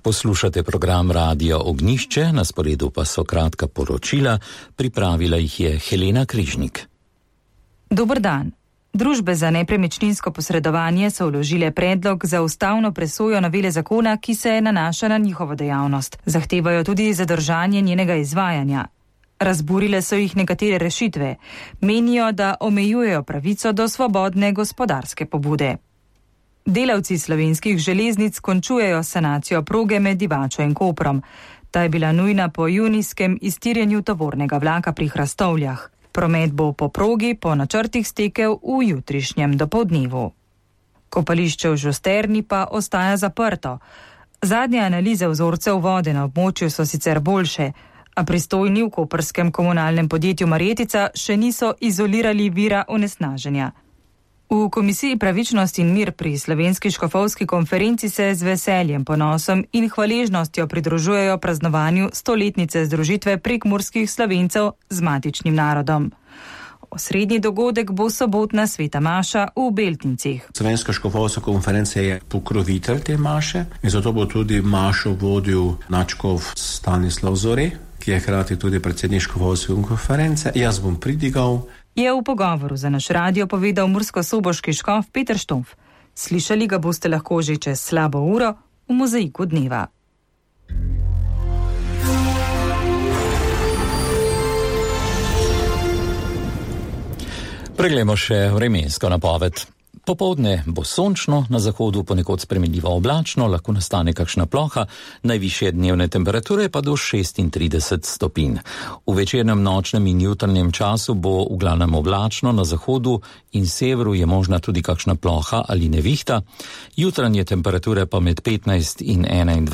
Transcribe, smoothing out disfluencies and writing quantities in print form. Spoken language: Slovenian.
Poslušate program Radio Ognjišče, na sporedu pa so kratka poročila, pripravila jih je Helena Križnik. Dober dan. Družbe za nepremičninsko posredovanje so vložile predlog za ustavno presojo novele zakona, ki se nanaša na njihovo dejavnost. Zahtevajo tudi zadržanje njenega izvajanja. Razburile so jih nekatere rešitve. Menijo, da omejujejo pravico do svobodne gospodarske pobude. Delavci Slovenskih železnic končujejo sanacijo proge med Divačo in Koprom. Ta je bila nujna po junijskem iztirjenju tovornega vlaka pri Hrastovljah. Promet bo po progi po načrtih stekel v jutrišnjem dopoldnevu. Kopališče v Žusterni pa ostaja zaprto. Zadnje analize vzorcev vode na območju so sicer boljše, a pristojni v koprskem komunalnem podjetju Marjetica še niso izolirali vira onesnaženja. V Komisiji Pravičnost in mir pri Slovenski škofovski konferenci se z veseljem, ponosom in hvaležnostjo pridružujejo praznovanju 100-letnice združitve prekmurskih Slovencev z matičnim narodom. Osrednji dogodek bo sobotna sveta maša v Beltincih. Slovenska škofovska konferenca je pokrovitelj te maše in zato bo tudi mašo vodil nadškof Stanislav Zore, ki je hkrati tudi predsednik škofovske konference. Jaz bom pridigal. Je v pogovoru za naš radio povedal murskosoboški škof Peter Štof. Slišali ga boste lahko že čez slabo uro v Mozaiku dneva. Preglejmo še vremensko napoved. Popoldne bo sončno, na zahodu ponekod spremenljivo oblačno, lahko nastane kakšna ploha, najvišje dnevne temperature pa do 36 stopinj. V večernem, nočnem in jutrnjem času bo v glavnem oblačno, na zahodu in severu je možna tudi kakšna ploha ali nevihta. Jutranje temperature pa med 15 in 21